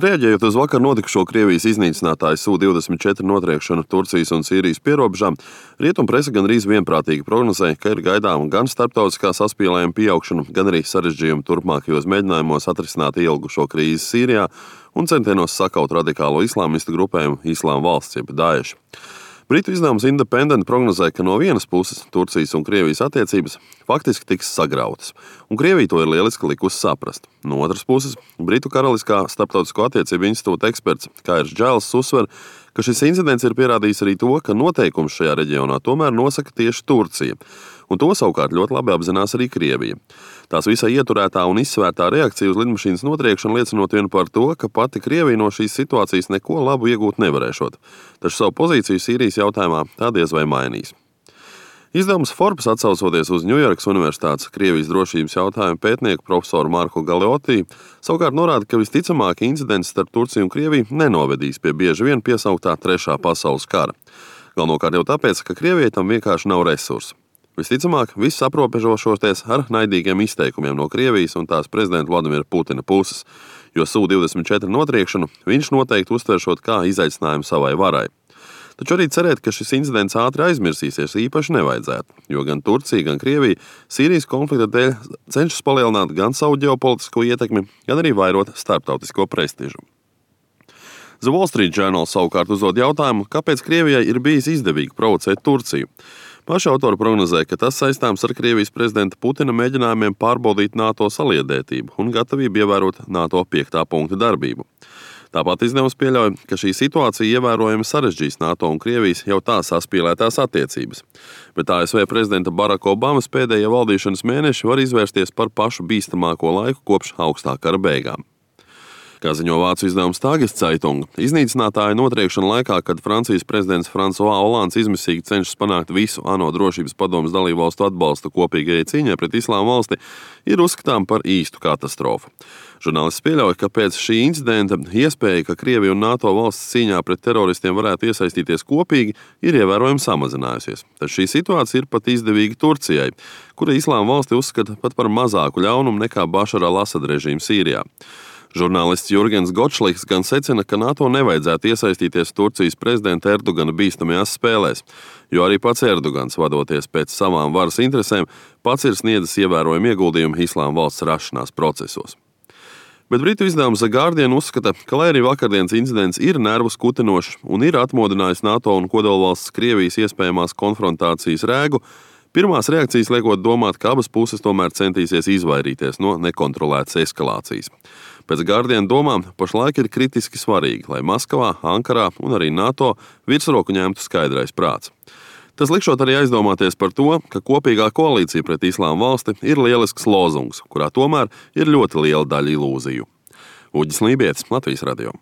Reaģējot uz vakar notikušo Krievijas iznīcinātāju Su-24 notriekšanu Turcijas un Sīrijas pierobežā, rietumprese gandrīz vienprātīgi prognozēja, ka ir gaidāma gan starptautiskā saspīlējuma pieaugšana, gan arī sarežģījumi turpmākajos mēģinājumos atrisināt ilgušo krīzi Sīrijā un centienos sakaut radikālo islāmistu grupējumu Islāma valsts jeb Daesh. Britu izdevums Independent prognozēja, ka no vienas puses Turcijas un Krievijas attiecības faktiski tiks sagrautas, un Krievija to ir lieliski likusi saprast. No otras puses, Britu Karaliskā starptautisko attiecību institūta eksperts Kairs Džails uzsver, ka šis incidents ir pierādījis arī to, ka noteikums šajā reģionā tomēr nosaka tieši Turcija, un to savukārt ļoti labi apzinās arī Krievija. Tās visai ieturētā un izsvērtā reakcija uz lidmašīnas notriekšanu liecinot vien par to, ka pati Krievija no šīs situācijas neko labu iegūt nevarēšot, taču savu pozīciju Sīrijas jautājumā tā diez vai mainīs. Izdevums Forbes atsaucoties uz Ņujorkas Universitātes Krievijas drošības jautājumu pētnieku profesoru Marku Galeoti savukārt norāda, ka visticamāk incidents starp Turciju un Krieviju nenovedīs pie bieži vien piesauktā Trešā pasaules kara. Galvenokārt jau tāpēc, ka Krievijai tam vienkārši nav resursu. Visticamāk, viss aprobežošoties ar naidīgiem izteikumiem no Krievijas un tās prezidenta Vladimira Putina puses, jo Su-24 notriekšanu viņš noteikti uztveršot kā izaicinājumu savai varai. Taču arī cerēt, ka šis incidents ātri aizmirsīsies, īpaši nevajadzētu, jo gan Turcija, gan Krievija Sīrijas konflikta dēļ cenšas palielināt gan savu ģeopolitisko ietekmi, gan arī vairot starptautisko prestižu. The Wall Street Journal savukārt uzdod jautājumu, kāpēc Krievijai ir bijis izdevīgi provocēt Turciju. Paši autori prognozēja, ka tas saistāms ar Krievijas prezidenta Putina mēģinājumiem pārbaudīt NATO saliedētību un gatavību ievērot NATO 5. punkta darbību. Tāpat izdevums pieļauj, ka šī situācija ievērojami sarežģīs NATO un Krievijas jau tā saspīlētās attiecības. Bet ASV prezidenta Baraka Obamas pēdējie valdīšanas mēneši var izvērsties par pašu bīstamāko laiku kopš augstā kara beigām. Kā ziņo vācu izdevums Tageszeitung, iznīcinātāja notriekšana laikā, kad Francijas prezidents François Hollands izmisīgi cenšas panākt visu ANO drošības padomes dalībvalstu atbalstu kopīgajai cīņai pret Islāma valsti, ir uzskatām par īstu katastrofu. Žurnālists pieļauj, ka pēc šī incidenta iespēja, ka Krievija un NATO valsts cīņā pret teroristiem varētu iesaistīties kopīgi, ir ievērojami samazinājusies. Taču šī situācija ir pat izdevīga Turcijai, kura Islāma valsti uzskata pat par mazāku ļaunumu nekā Bašara al-Asada režīmu Sīrijā. Žurnālists Jurgens Gotšliks gan secina, ka NATO nevajadzētu iesaistīties Turcijas prezidenta Erdogana bīstamajās spēlēs, jo arī pats Erdogans, vadoties pēc savām varas interesēm, pats ir sniedzis ievērojumu ieguldījumu Islāma valsts rašanās procesos. Bet britu izdevums The Guardian uzskata, ka lai arī vakardienas incidents ir nervus kutinošs un ir atmodinājis NATO un kodolvalsts Krievijas iespējamās konfrontācijas rēgu, pirmās reakcijas liekot domāt, ka abas puses tomēr centīsies izvairīties no nekontrolētas eskalācijas. Pēc Guardian domām pašlaik ir kritiski svarīgi, lai Maskavā, Ankarā un arī NATO virsroku ņemtu skaidrais prāts. Tas likšot arī aizdomāties par to, ka kopīgā koalīcija pret Islāma valsti ir lielisks lozungs, kurā tomēr ir ļoti liela daļa ilūziju. Uģis Lībietis, Latvijas radio.